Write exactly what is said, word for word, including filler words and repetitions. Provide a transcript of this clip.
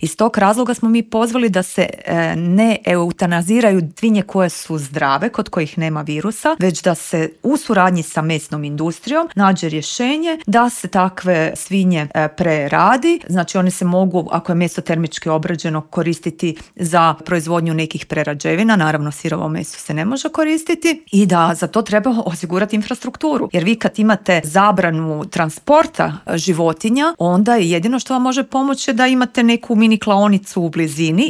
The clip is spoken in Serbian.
Iz tog razloga smo mi pozvali da se e, ne eutanaziraju svinje koje su zdrave, kod kojih nema virusa, već da se u suradnji sa mesnom industrijom nađe rješenje da se takve svinje e, preradi. Znači one se mogu, ako je meso termički obrađeno, koristiti za proizvodnju nekih prerađevina, naravno sirovo meso se ne može koristiti i da za to treba osigurati infrastrukturu. Jer vi kad imate zabranu transporta životinja, onda je jedino što vam može pomoći da imate neku mini klaonicu u blizini